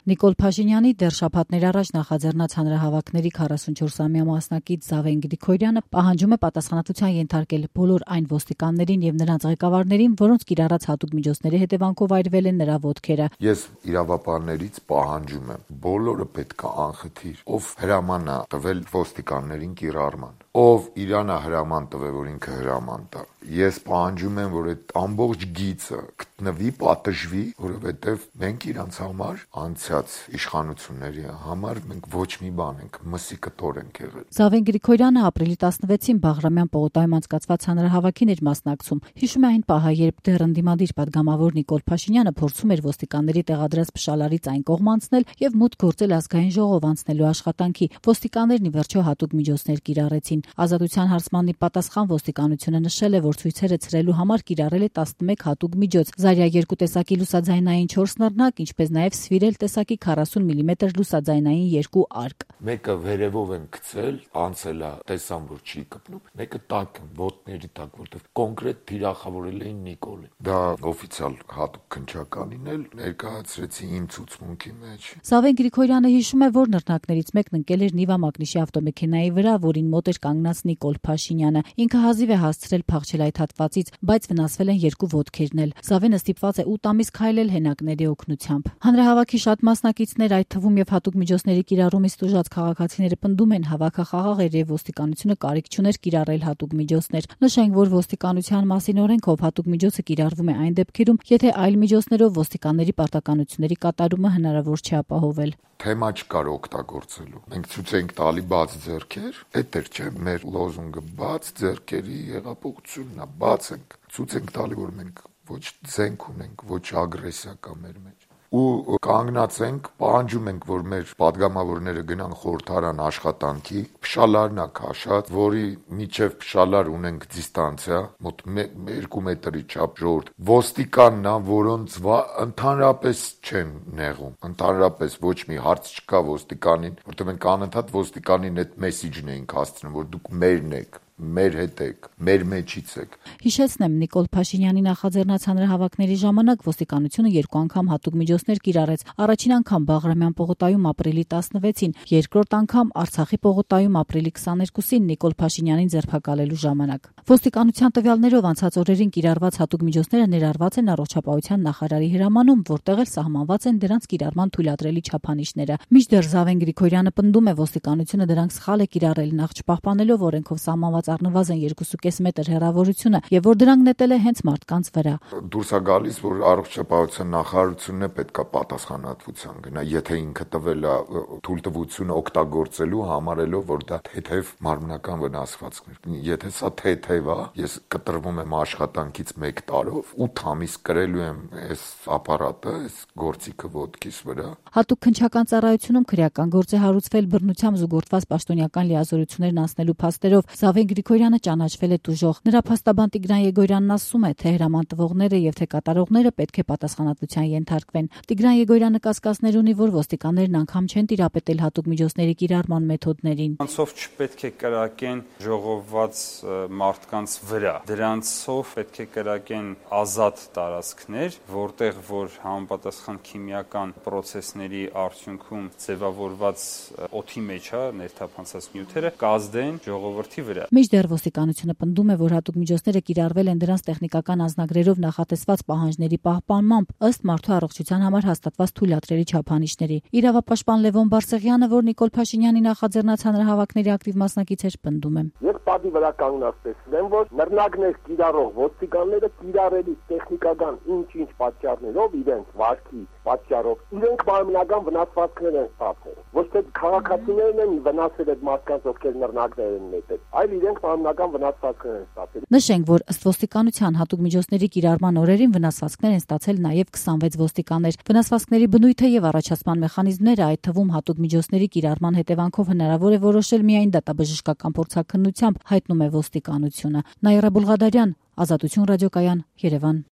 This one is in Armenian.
Նիկոլ Փաշինյանի դեռ շաբաթներ առաջ նախաձեռնած հանրահավաքների 44-ամյա մասնակից Զավեն Գրիգորյանը պահանջում է պատասխանատվության ենթարկել բոլոր այն ոստիկաններին եւ նրանց ղեկավարներին, որոնց կիրառած հատուկ միջոցների հետևանքով այրվել են նրա ոտքերը։ Ես իրավապահներից պահանջում եմ, բոլորը պետք է անխտիր, ով հրաման է տվել ոստիկաններին կիրառման, ով Իրանա հրաման տվել, որ ինքը հրաման տա։ Ես պահանջում եմ, որ այդ ամբողջ գիծը գտնվի, պատժվի, որովհետև մենք իրանց համար անցած իշխանությունների համար մենք ոչ մի բան ենք, մսի կտոր ենք եղել։ Զավեն Գրիգորյանը ապրիլի 16-ին Բաղրամյան պողոտայում անցկացված հանրահավաքին էր մասնակցում։ Հիշում է այն պահը, երբ դեռ ընդդիմադիր պատգամավոր Նիկոլ Փաշինյանը փորձում էր ոստիկանների տեղադրած փշալարից այն կողմ անցնել եւ մուտք գործել ազգային ժողով անցնելու աշխատանքի։ Ոստիկաններն ի վերջո հատուկ միջոցներ կիրառեցին։ Ազատության հարցմանի պատասխան ոստիկանությունը նշել է, որ ցույցերը ցրելու համար կիրառել է 11 հատուկ միջոց՝ Զարյա 2 տեսակի լուսաձայնային 4 նռնակ, ինչպես նաև Սվիրել տեսակի 40 մմ լուսաձայնային 2 արկ։ Մեկը վերևով են գցել, անցել է, տեսան որ չի կպնում, մեկը տակ են, ոտների տակ, որտեղ կոնկրետ թիրախավորել էին Նիկոլին։ Դա օֆիցիալ հատուկ քննչականին էլ ներկայացրեցի իմ ցուցմունքի մեջ։ Զավեն Գրիգորյանը հիշում է, որ նռնակներից մեկն ընկել էր Նիվա Մակնիշի ավտոմեքենայի վրա, որին մոտ էր կանգնած Նիկոլ Փաշինյանը։ Ինքը հազիվ է հասցրել փախչել այդ հատվածից, բայց վնասվել են 2 ոտքերն էլ։ Զավենը ստիպված է 8 ամիս քայլել հենակների օգնությամբ։ Հանրահավաքի շատ մասնակիցներ, այդ թվում եւ հատուկ միջոցների կիրառումից տուժած քաղաքացիները պնդում են, հավաքը խաղաղ էր եւ ոստիկանությունը կարիք չուներ կիրառել հատուկ միջոցներ։ Նշենք, որ ոստիկանության մասին օրենքով հատուկ միջոցը կիրառվում է այն դեպքերում, եթե այլ միջոցներով ոստիկանների պարտականությունների կատարումը հնարավոր չէ ապահովել։ Թեմա չկար օգտագործելու։ Մենք ցույց ենք տալի բաց ձեռքեր, էդ էր չէ, մեր լոզունգը բաց ձեռքերի հեղափոխությունն է, բաց ենք, ցույց ենք տալի, որ մենք ոչ զենք ունենք, ոչ ագրեսիա կա մեր մեջ։ Ու կանգնած ենք, պահանջում ենք, որ մեր պատգամավորները գնան խորհրդարան աշխատանքի, փշալարն է քաշած, որի միջև փշալար ունենք դիստանցիա, մոտ 2 մետրի չափ ժողովուրդ։ Ոստիկանն է, որոնց ընդհանրապես չեն նեղում, ընդհանրապես ոչ մի հարց չկա ոստիկանին, որտեղ մենք անընդհատ ոստիկանին այդ մեսիջն էինք հասցնում, որ դուք մերն եք, մեր հետ եք, մեր մեջից եք։ Հիշեցնեմ, Նիկոլ Փաշինյանի նախաձեռնած հանրահավաքների ժամանակ ոստիկանությունը 2 անգամ հատուկ միջոցներ կիրառեց։ Առաջին անգամ Բաղրամյան պողոտայում ապրիլի 16-ին, երկրորդ անգամ Արցախի պողոտայում ապրիլի 22-ին Նիկոլ Փաշինյանին ձերբակալելու ժամանակ։ Ոստիկանության տվյալներով անցած օրերին կիրառված հատուկ միջոցները ներառված են առողջապահության նախարարի հրամանում, որտեղ էլ սահմանված են դրանց կիրառման թույլատրելի չափանիշները։ Մինչդեռ Զավեն Գրիգորյանը պնդում է, ոստիկանությունը դրանք սխալ է կիրառել, նախ չպահպանելով օրենքով սահմանված առնվազն 2.5 մետր հեռավորությունը եւ որ դրանք նետել է հենց մարդկանց վրա։ Դուրս է գալիս, որ առողջապահության նախարարությունն է պետքա պատասխանատվության գնա, եթե ինքը տվել է թույլտվությունը օգտագործելու համարելով, որ դա թեթև մարմնական վնասվածքներ։ Եթե սա թեթև է, ես կտրվում եմ աշխատանքից 1 տարով, 8 ամիս կրելու եմ այս ապարատը, այս գործիքը ոտքիս վրա։ Հատուկ քննչական ծառայությունում քրեական գործ է հարուցվել բռնությամբ զուգորդված պաշտոնյական լիազորություններն անցնելու փաստերով։ Զավեն Գրիգորյանը ճանաչվել է տուժող։ Նրա փաստաբան Տիգրան Եգորյանն ասում է, թե հրաման տվողները եւ թե կատարողները պետք է պատասխանատվության ենթարկվեն։ Տիգրան Եգորյանը կասկածներ ունի, որ ոստիկաններն անգամ չեն տիրապետել հատուկ միջոցների կիրառման մեթոդներին։ Դրանցով չպետք է կրակեն ժողովված մարդկանց վրա։ Դրանցով պետք է կրակեն ազատ տարածքներ, որտեղ որ համապատասխան քիմիական պրոցեսների արդյունքում ձևավորված օդի մեջ ներթափանցած նյութերը կազդեն ժողովրդի վրա։ Մինչդեռ ոստիկանությունը պնդում է, որ հատուկ միջոցները կիրառվել են դրանց տեխնիկական անձնագրերով նախատեսված պահանջների պահպանմամբ ըստ մարդու առողջության համար հաստատված թույլատրելի չափանիշների։ Իրավապաշտպան Լևոն Բարսեղյանը, որ Նիկոլ Փաշինյանի նախաձեռնած հանրահավաքների ակտիվ մասնակից էր, պնդում է. Ես պատի վրա կանգնած տեսնեմ, որ նռնակներ կիրառող ոստիկանները կիրառելի տեխնիկական ինչ-ինչ պատճառներով իրենց վարքի պատճառով իրենք մարմնական վնասվածքներ են ստացել։ Ոչ թե քաղաքացիներն են վնասել այդ մարդկանց, ովքեր նռնակներ են նետել, այլ իրենք մարմնական վնասվածքներ են ստացել։ Նշենք, որ ըստ ոստիկանության հատուկ միջոցների կիրառման օրերին վնասվածքներ են ստացել նաև 26 ոստիկաններ։ Վնասվածքների բնույթը եւ առաջացման մեխանիզմները, այդ թվում հատուկ միջոցների կիրառման հետևանքով հնարավոր է որոշել միայն դատաբժշկական փորձաքննությամբ, հայտնում է ոստիկանությունը։ Նաիրա Բուլղադարյան, Ազատություն ռադիոկայան, Երևան։